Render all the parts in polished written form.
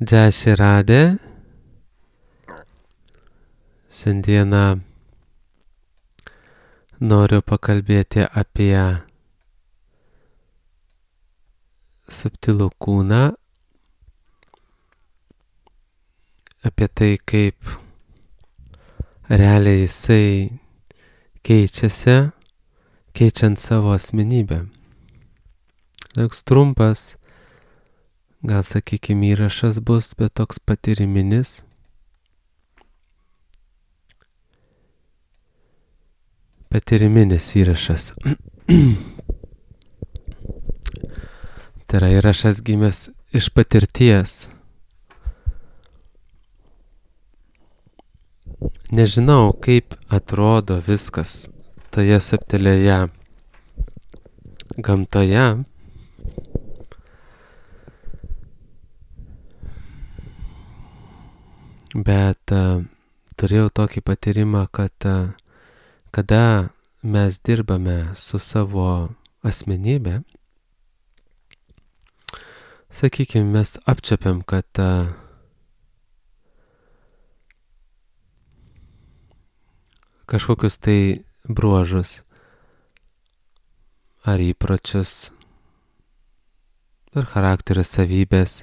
Jai Shri Radhe. Šiandieną noriu pakalbėti apie subtilų kūną, apie tai, kaip realiai jisai keičiasi, keičiant savo asmenybę. Toks trumpas, gal sakykime, įrašas bus, bet toks patyriminis. Patyriminis įrašas. Tai yra įrašas gimęs iš patirties. Nežinau, kaip atrodo viskas toje subtilioje gamtoje, bet turėjau tokį patyrimą, kad kada mes dirbame su savo asmenybė, sakykime, mes apčiapiam, kad kažkokius tai bruožus ar įpročius ar charakterio savybės,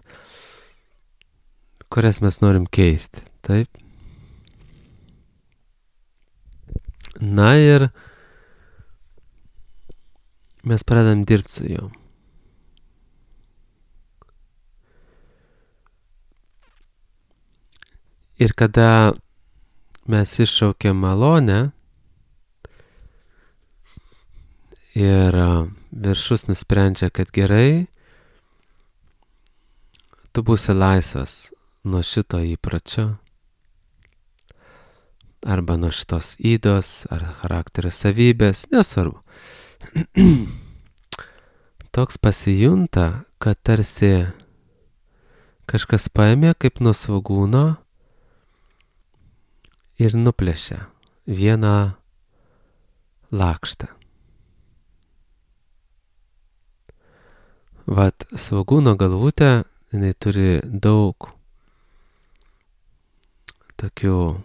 kurias mes norim keisti, taip? Na ir mes pradedam dirbti su juo. Ir kada mes iššaukiam malonę ir viršus nusprendžia, kad gerai, tu būsi laisvas nuo šito įpročio arba nuo šitos ydos ar charakterio savybės, nesvarbu. Toks pasijunta, kad tarsi kažkas paėmė kaip nuo svogūno ir nuplėšė vieną lakštą. Vat svogūno galvutė, jinai turi daug tokių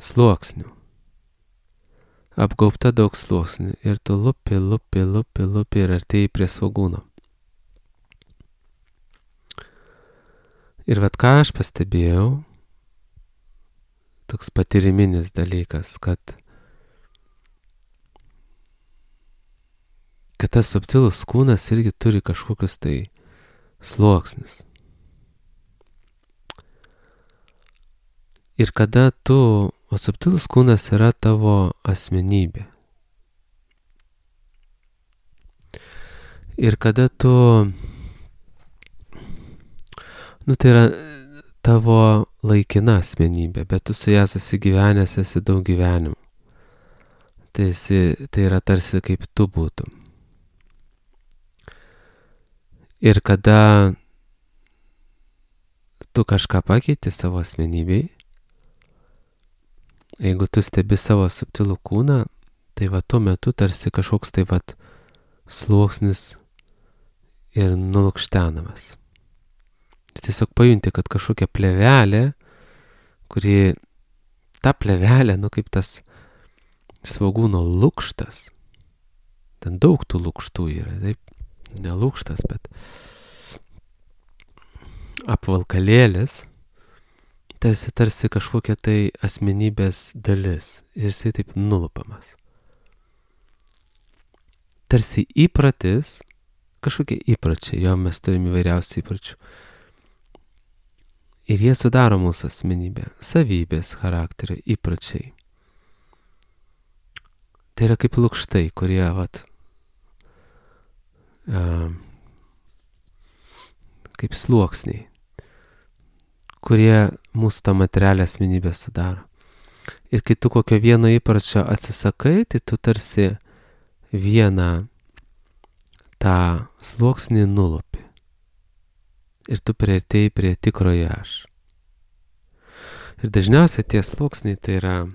sluoksnių. Apgaubta daug sluoksnių. Ir tu lupi ir artėjai prie svogūno. Ir vat ką aš pastebėjau, toks patyriminis dalykas, kad tas subtilus kūnas irgi turi kažkokius tai sluoksnius. Ir kada o subtilus kūnas yra tavo asmenybė. Ir kada tai yra tavo laikina asmenybė, bet tu su ją susigyvenęs esi daug gyvenimų. Tai yra tarsi kaip tu būtum. Ir kada tu kažką pakeiti savo asmenybei, jeigu tu stebi savo subtilų kūną, tai va tuo metu tarsi kažkoks tai vat sluoksnis ir nulukštenamas. Tiesiog pajunti, kad kažkokia plėvelė, kuri ta plėvelė, kaip tas svogūno lukštas, ten daug tų lukštų yra, taip, ne lukštas, bet apvalkalėlis, tarsi kažkokia tai asmenybės dalis ir jisai taip nulupamas. Tarsi įpratis, kažkokie įpračiai, jo mes turime įvairiausių įpračių. Ir jie sudaro mūsų asmenybę, savybės, charakterio, įpračiai. Tai yra kaip lukštai, kurie kaip sluoksniai, kurie mūsų tą materialią asmenybę sudaro. Ir kai tu kokio vieno įpračio atsisakai, tai tu tarsi vieną tą sluoksnį nulupi. Ir tu priartėjai prie tikrojo aš. Ir dažniausiai tie sluoksniai tai yra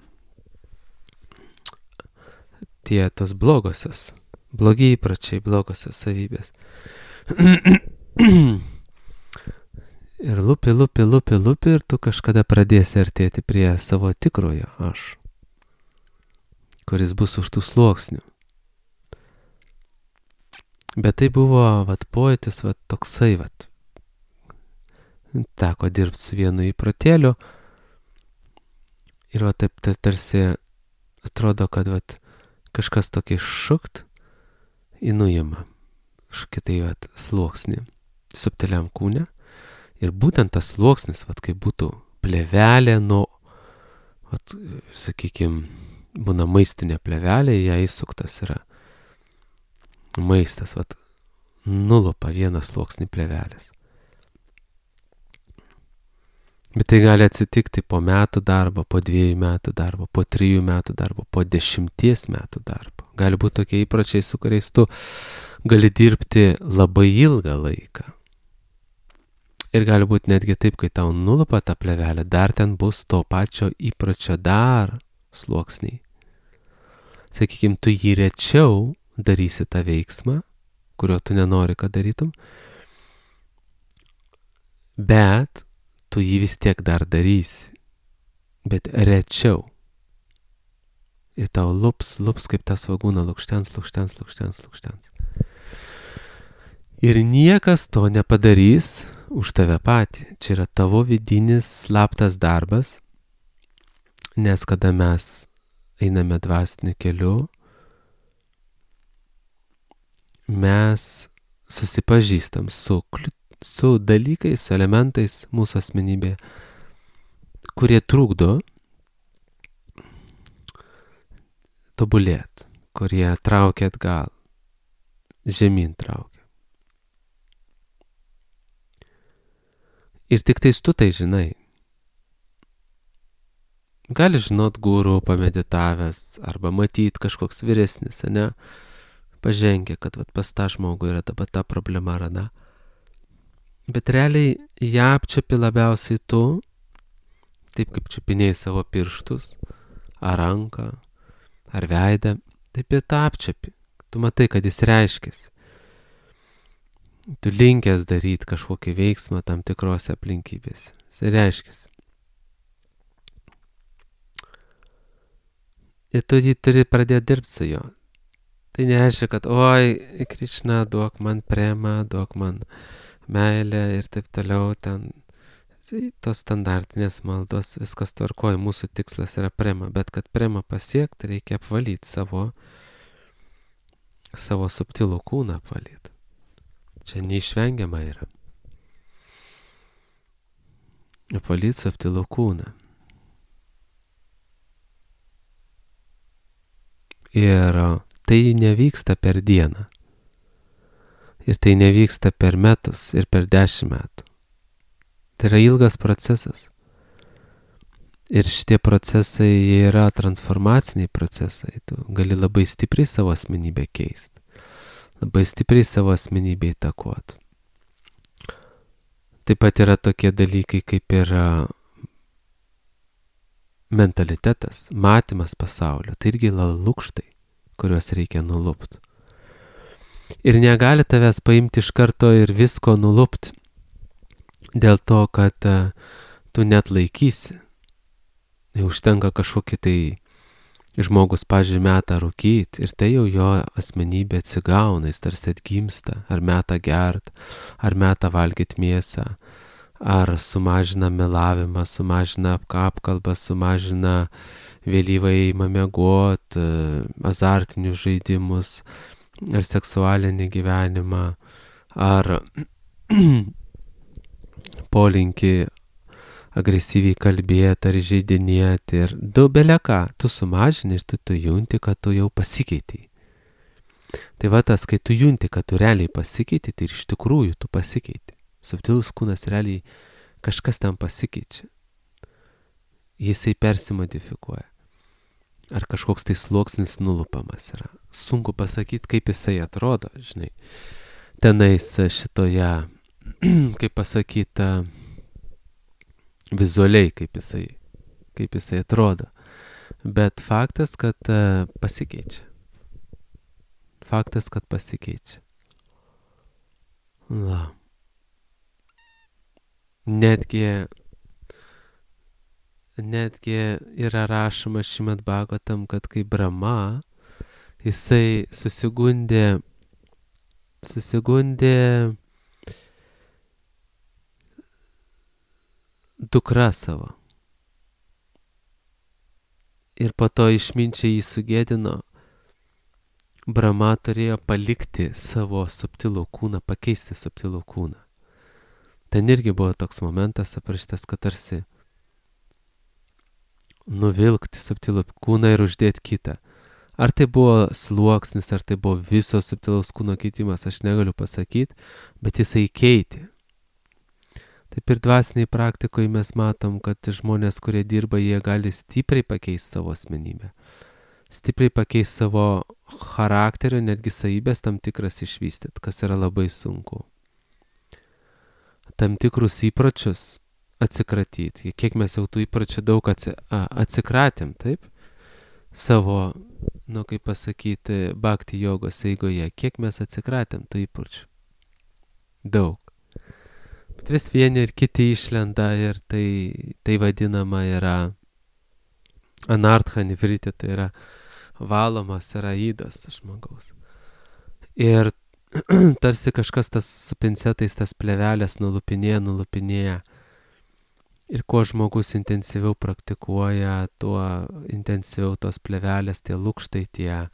tos blogosios, blogi įpračiai, blogosios savybės. Ir lupi ir tu kažkada pradėsi artėti prie savo tikrojo aš, kuris bus už tų sluoksnių. Bet tai buvo, pojūtis, toksai, teko dirbti su vienu įprotėliu ir taip tarsi atrodo, kad kažkas tokį šukt į nuimą, kažkokį sluoksnį subtiliam kūne. Ir būtent tas sluoksnis, kaip būtų plėvelė nuo, sakykime, būna maistinė plėvelė, ją įsuktas yra maistas, nulupa vienas sluoksnį plėvelės. Bet tai gali atsitikti po metų darbo, po 2 metų darbo, po 3 metų darbo, po 10 metų darbo. Gali būti tokie įpročiai, su kuriais tu gali dirbti labai ilgą laiką. Ir gali būti netgi taip, kai tau nulupa tą plėvelę, dar ten bus to pačio įpročio dar sluoksniai. Sakykime, tu jį rečiau darysi tą veiksmą, kurio tu nenori, kad darytum, bet tu jį vis tiek dar darysi, bet rečiau. Ir tau lups kaip tas svagūna lukštens. Ir niekas to nepadarys už tave patį. Čia yra tavo vidinis slaptas darbas, nes kada mes einame dvasiniu keliu, mes susipažįstam su dalykais, su elementais mūsų asmenybėje, kurie trukdo tobulėti, kurie traukia atgal, žemyn traukia. Ir tik tais tu tai žinai. Gali žinot guru pameditavęs arba matyt kažkoks vyresnis, ne? Pažengia, kad pas tą žmogų yra ta problema ar ana. Bet realiai ją apčiapi labiausiai tu, taip kaip čiupinėjai savo pirštus, ar ranką, ar veidą, taip ir tą apčiapi. Tu matai, kad jis reiškiasi. Tu linkęs daryti kažkokį veiksmą tam tikrose aplinkybėse. Jis reiškiasi. Ir tu jį turi pradėti dirbti su juo. Tai nereiškia, kad oi, Krišna, duok man premą, duok man meilę ir taip toliau ten. Tai tos standartinės maldos, viskas tvarkoja, mūsų tikslas yra prema, bet kad premą pasiekti, reikia apvalyti savo subtilų kūną apvalyti. Čia neišvengiama yra. Apvalyti subtilų kūną. Ir tai nevyksta per dieną. Ir tai nevyksta per metus ir per 10 metų. Tai yra ilgas procesas. Ir šitie procesai yra transformaciniai procesai. Tu gali labai stipriai savo asmenybę keisti. Labai stipriai savo asmenybę įtakoti. Taip pat yra tokie dalykai kaip ir mentalitetas, matymas pasaulio. Tai irgi lukštai, kuriuos reikia nulupti. Ir negali tavęs paimti iš karto ir visko nulupti. Dėl to, kad tu net laikysi. Užtenka kažkokį tai žmogus, pavyzdžiui, meta rūkyti ir tai jau jo asmenybė atsigauna, jis tarsi atgimsta, ar meta gert, ar meta valgyti mėsą, ar sumažina melavimą, sumažina apkalbą, sumažina vėlyvą ėjimą miegot, azartinius žaidimus, ar seksualinį gyvenimą, ar polinkį agresyviai kalbėti ar žaidinėti ir daubelę ką, tu sumažini ir tu junti, kad tu jau pasikeitei. Tai tas, kai tu junti, kad tu realiai pasikeitei, tai iš tikrųjų tu pasikeitei. Subtilus kūnas realiai kažkas tam pasikeičia. Jisai persimodifikuoja. Ar kažkoks tai sluoksnis nulupamas yra. Sunku pasakyti, kaip jisai atrodo, žinai. Tenais šitoje, kaip pasakyta, vizualiai, kaip jisai atrodo. Bet faktas, kad pasikeičia. Faktas, kad pasikeičia. Netgi yra rašoma Šrimad Bhagavatam, kad kai Brahma, jisai susigundė dukra savo. Ir po to išminčiai jį sugėdino, Brahma turėjo palikti savo subtilų kūną, pakeisti subtilų kūną. Ten irgi buvo toks momentas aprašytas, kad tarsi nuvilkti subtilų kūną ir uždėti kitą. Ar tai buvo sluoksnis, ar tai buvo viso subtilaus kūno keitimas, aš negaliu pasakyti, bet jisai keitė. Taip ir dvasiniai praktikoje mes matom, kad žmonės, kurie dirba, jie gali stipriai pakeisti savo asmenybę. Stipriai pakeisti savo charakterio, netgi savybės tam tikras išvystyti, kas yra labai sunku. Tam tikrus įpročius atsikratyti. Kiek mes jau tų įpročių daug atsikratėm, taip? Savo, kaip pasakyti, bhakti jogos eigoje. Kiek mes atsikratėm tų įpročių? Daug. Bet vis vieni ir kiti išlenda ir tai vadinama yra anartha nivriti, tai yra valomas yra ydas žmogaus. Ir tarsi kažkas tas su pincetais tas plevelės nulupinėja. Ir kuo žmogus intensyviau praktikuoja, tuo intensyviau tos plevelės, tie lukštai, tie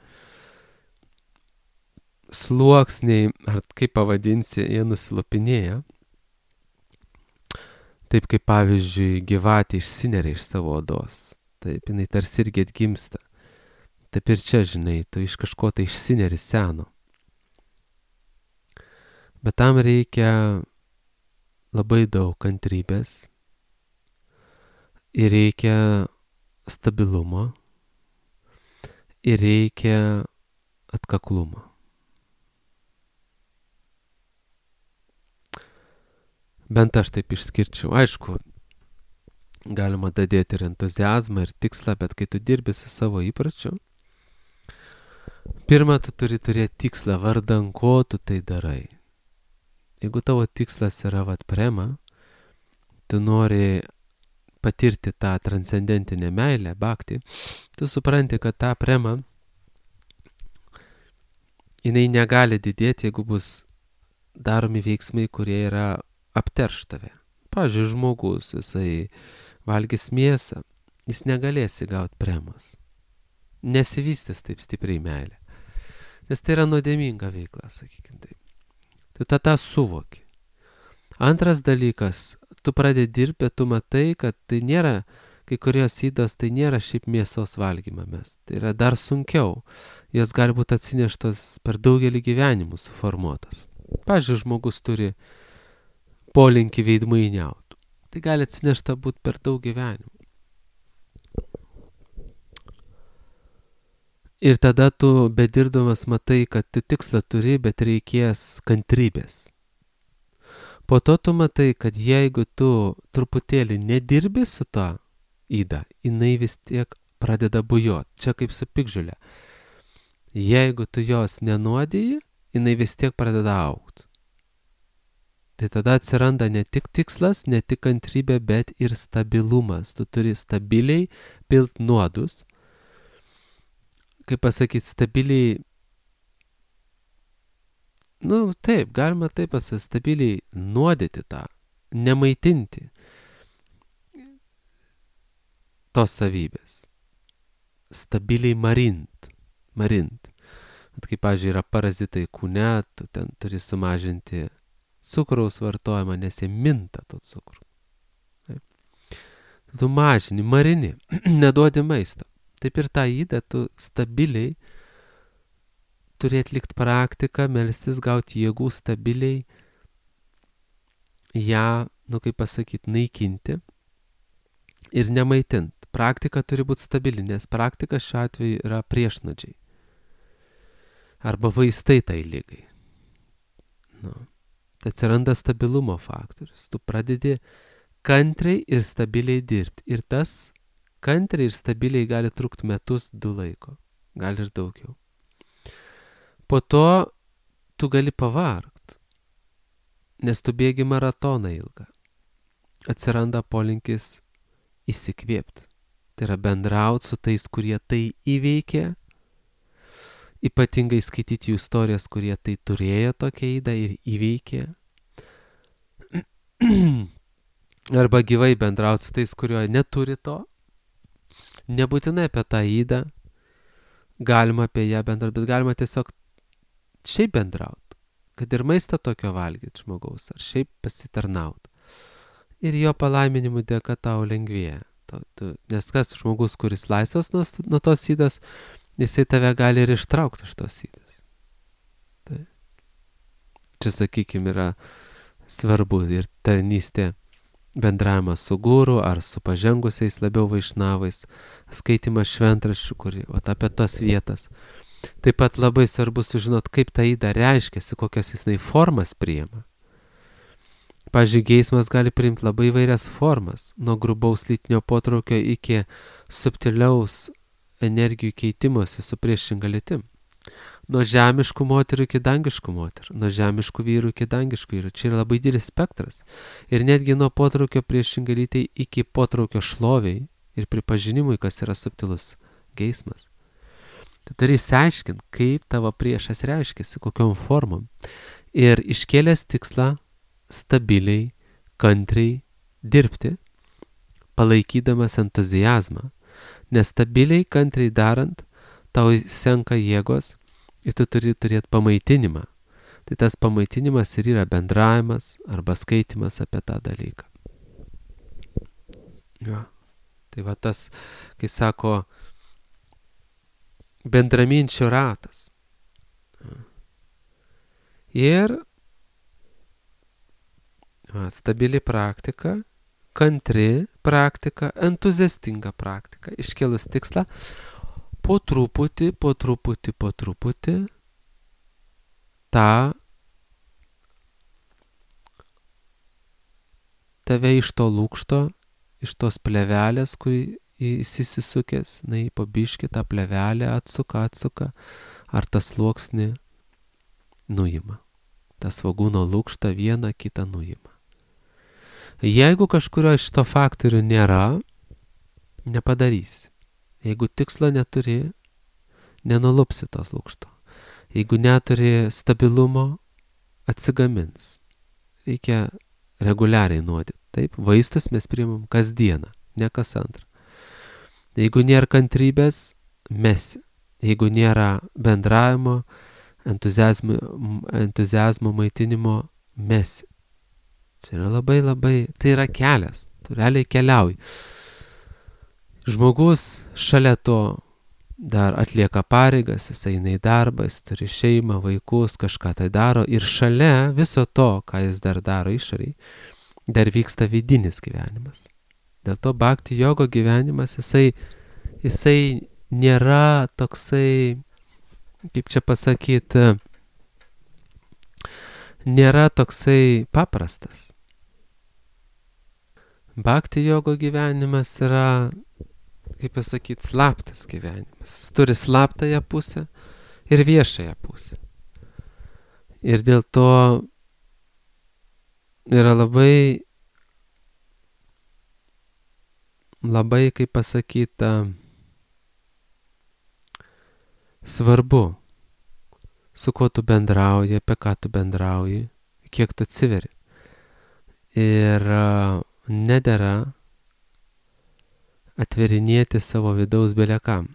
sluoksniai, ar kaip pavadinsi, jie nusilupinėja. Taip kaip pavyzdžiui gyvatė išsineria iš savo odos. Taip, jinai tarsi irgi atgimsta. Taip ir čia, žinai, tu iš kažko tai išsineri seno. Bet tam reikia labai daug kantrybės ir reikia stabilumo ir reikia atkaklumo. Bent aš taip išskirčiau. Aišku, galima dadėti ir entuziazmą, ir tikslą, bet kai tu dirbi su savo įpračiu, pirmą tu turi turėti tikslą, vardan ko tu tai darai. Jeigu tavo tikslas yra prema, tu nori patirti tą transcendentinę meilę, bhakti, tu supranti, kad tą prema, jinai negali didėti, jeigu bus daromi veiksmai, kurie yra apterš tave. Pavyzdžiui, žmogus, jisai valgys mėsą, jis negalės įgauti premos. Nesivystys taip stipriai meilė. Nes tai yra nuodėminga veikla, sakykime taip. Tu tada suvoki. Antras dalykas, tu pradedi dirbti, tu matai, kad tai nėra, kai kurios ydos, tai nėra šiaip mėsos valgymą mes. Tai yra dar sunkiau. Jos gali būti atsineštos per daugelį gyvenimų suformuotas. Pavyzdžiui, žmogus turi polinkį veidmainiauti. Tai gali atsinešta būti per daug gyvenimų. Ir tada tu bedirdamas matai, kad tu tikslą turi, bet reikės kantrybės. Po to tu matai, kad jeigu tu truputėlį nedirbi su to yda, jinai vis tiek pradeda bujoti. Čia kaip su piktžolė. Jeigu tu jos nenuodiji, jinai vis tiek pradeda augti. Tai tada atsiranda ne tik tikslas, ne tik kantrybė, bet ir stabilumas. Tu turi stabiliai pilt nuodus. Kaip pasakyti, stabiliai, taip, galima taip pasakyti, stabiliai nuodyti tą, nemaitinti tos savybės. Stabiliai marint. Bet kaip, pavyzdžiui, yra parazitai kūne, tu ten turi sumažinti cukraus vartojimą, nes jie minta to cukrų. Taip. Tu mažini, marini, neduodi maisto. Taip ir tą ydą tu stabiliai turi atlikti praktiką, melstis, gauti jėgų stabiliai, ją, kaip pasakyti, naikinti ir nemaitint. Praktika turi būti stabili, nes praktika šiuo atveju yra priešnodžiai. Arba vaistai tai ligai. Tai atsiranda stabilumo faktorius. Tu pradedi kantriai ir stabiliai dirbti. Ir tas kantriai ir stabiliai gali trukti metus, 2 laiko. Gali ir daugiau. Po to tu gali pavargt, nes tu bėgi maratoną ilgą. atsiranda polinkis įsikvėpti. Tai yra bendrauti su tais, kurie tai įveikė, ypatingai skaityti jų istorijas, kurie tai turėjo tokią ydą ir įveikė. Arba gyvai bendrauti su tais, kurio neturi to. Nebūtinai apie tą ydą, galima apie ją bendrauti, bet galima tiesiog šiaip bendrauti, kad ir maistą tokio valgyti žmogaus, ar šiaip pasitarnauti. Ir jo palaiminimų dėka tau lengvėja. Nes kas žmogus, kuris laisvas nuo tos ydos, jisai tave gali ir ištraukti iš tos ydos. Tai. Čia, sakykime, yra svarbu ir tarnystė, bendravimas su guru ar su pažengusiais labiau vaišnavais, skaitimas šventraščių, apie tas vietas. Taip pat labai svarbu sužinot, kaip ta yda reiškiasi, kokias jisai formas priima. Pavyzdžiui, geismas gali priimti labai įvairias formas, nuo grubaus lytinio potraukio iki subtiliaus energijų keitimosi su priešinga lytim. Nuo žemiškų moterų iki dangiškų moterų, nuo žemiškų vyrų iki dangiškų vyrų. Čia yra labai didelis spektras. Ir netgi nuo potraukio priešingai lytai iki potraukio šloviai ir pripažinimui, kas yra subtilus geismas. Tu turi išsiaiškinti, kaip tavo priešas reiškiasi, kokiom formom. Ir iškėlęs tikslą stabiliai, kantriai dirbti, palaikydamas entuziazmą. Nes stabiliai, kantriai darant, tau senka jėgos ir tu turi turėti pamaitinimą. Tai tas pamaitinimas ir yra bendravimas arba skaitimas apie tą dalyką. Ja. Tai va tas, kai sako, bendraminčių ratas. Ir stabili praktika, kantri praktika, entuziastinga praktika. Iškėlus tikslą, po truputį tą tave iš to lūkšto, iš tos plevelės, kurį įsisukęs, po biškį tą plevelę atsuka, ar tas sluoksnį nuima. Tas svogūno lūkštą vieną kitą nuima. Jeigu kažkurio iš to faktorių nėra, nepadarysi. Jeigu tikslo neturi, nenulupsi tos lūkšto. Jeigu neturi stabilumo, atsigamins. Reikia reguliariai nuodyti. Taip, vaistus mes priimam kasdieną, ne kas antrą. Jeigu nėra kantrybės, mesi. Jeigu nėra bendravimo, entuziazmo maitinimo, mesi. Tai yra labai, tai yra kelias, tu realiai keliauji. Žmogus šalia to dar atlieka pareigas, jis eina į darbą, jis turi šeimą, vaikus, kažką tai daro ir šalia viso to, ką jis dar daro išoriai, dar vyksta vidinis gyvenimas. Dėl to bhakti jogo gyvenimas, jisai nėra toksai, kaip čia pasakyti, nėra toksai paprastas. Bhakti jogo gyvenimas yra, kaip pasakyti, slaptas gyvenimas. Jis turi slaptąją pusę ir viešąją pusę. Ir dėl to yra labai, kaip pasakyta, svarbu, su kuo tu bendrauji, apie ką tu bendrauji, kiek tu atsiveri. Ir nedera atverinėti savo vidaus belekam.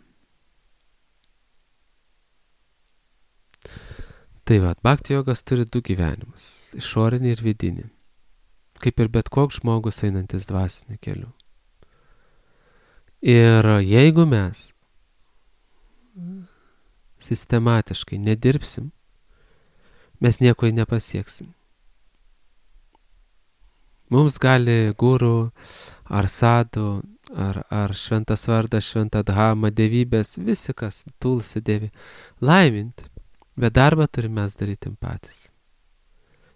Tai va, bhakti jogas turi du gyvenimus, išorinį ir vidinį, kaip ir bet koks žmogus einantis dvasiniu keliu. Ir jeigu mes sistematiškai nedirbsim, mes nieko nepasieksim. Mums gali guru, ar sadhu, ar šventas vardas, šventa dhama, dievybės, visi kas, tulsi dievi, laiminti, bet darbą turime mes daryti patys.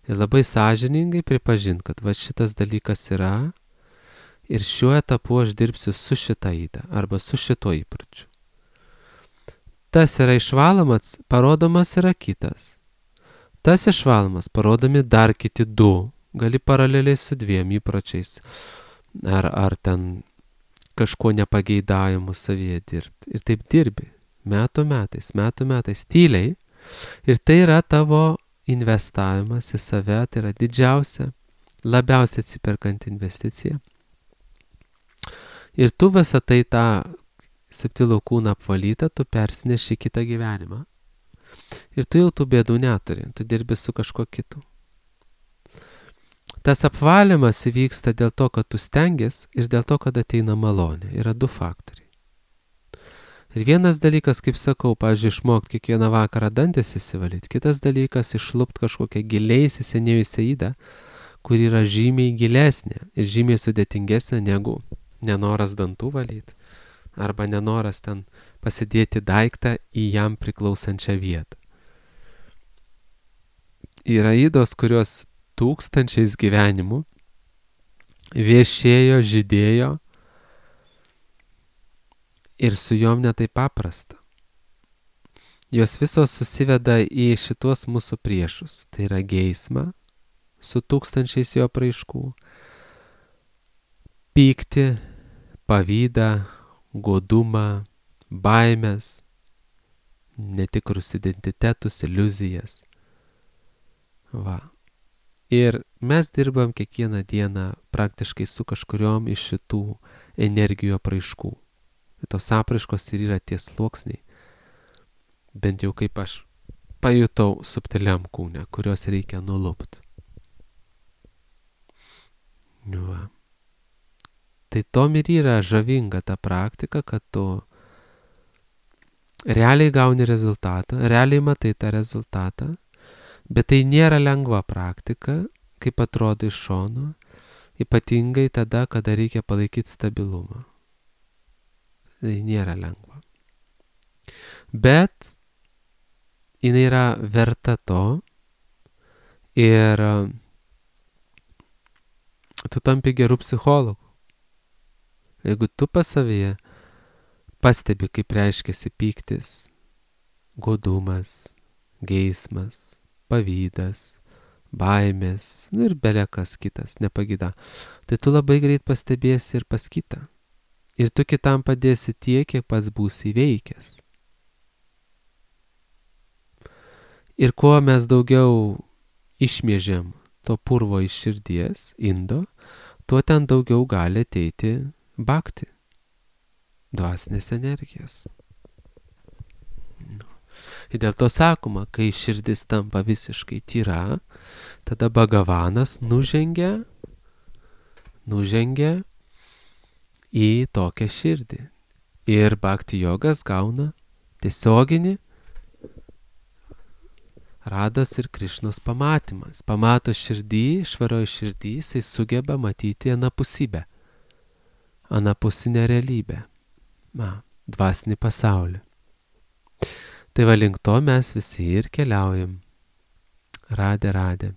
Ir labai sąžiningai pripažinti, kad va šitas dalykas yra ir šiuo etapu aš dirbsiu su šita yda arba su šituo įpročiu. Tas yra išvalomas, parodomas yra kitas. Tas išvalomas, parodomi dar kiti du gali paraleliai su 2 įpročiais ar ten kažko nepageidavimu savyje dirbti. Ir taip dirbi metų metais, tyliai. Ir tai yra tavo investavimas į save, tai yra didžiausia, labiausiai atsiperkanti investicija. Ir tu visą tai tą subtilų kūną apvalytą, tu persineši į kitą gyvenimą. Ir tu jau tų bėdų neturi, tu dirbi su kažkuo kitu. Tas apvalymas įvyksta dėl to, kad tu stengies ir dėl to, kad ateina malonė. Yra 2 faktoriai. Ir vienas dalykas, kaip sakau, pavyzdžiui, išmokti kiekvieną vakarą dantis įsivalyti. Kitas dalykas, išlupti kažkokią giliai įsisenėjusią ydą, kur yra žymiai gilesnė ir žymiai sudėtingesnė negu nenoras dantų valyti. Arba nenoras ten pasidėti daiktą į jam priklausančią vietą. Yra ydos, kurios tūkstančiais gyvenimų viešėjo, žydėjo ir su jom netai paprasta. Jos visos susiveda į šitos mūsų priešus. Tai yra geismą su tūkstančiais jo apraiškų, pyktį, pavydą, godumą, baimės, netikrus identitetus, iliuzijas. Va. Ir mes dirbam kiekvieną dieną praktiškai su kažkuriom iš šitų energijų apraiškų. Tos apraiškos ir yra tie sluoksniai, bent jau kaip aš pajutau subtiliam kūne, kurios reikia nulupti. Va. Tai tom ir yra žavinga ta praktika, kad tu realiai gauni rezultatą, realiai matai tą rezultatą, bet tai nėra lengva praktika, kaip atrodo iš šono, ypatingai tada, kada reikia palaikyti stabilumą. Tai nėra lengva. Bet jinai yra verta to ir tu tampi gerų psichologų. Jeigu tu pas savyje pastebi, kaip reiškiasi pyktis, godumas, geismas, pavydas, baimės, ir belekas kitas, nepagyda, tai tu labai greit pastebėsi ir pas kitą. Ir tu kitam padėsi tiek, kiek pats būsi įveikęs. Ir kuo mes daugiau išmėžiam to purvo iš širdies, indo, tuo ten daugiau gali ateiti bhakti, dvasinės energijos. Ir dėl to sakoma, kai širdis tampa visiškai tyra, tada Bhagavanas nužengia į tokią širdį. Ir bhakti jogas gauna tiesioginį Rados ir Krišnos pamatymas. Pamato širdį, švaroj širdį, jisai sugeba matyti anapusybę, anapusinę realybę, dvasinį pasaulį. Tai va link to mes visi ir keliaujam. Radė.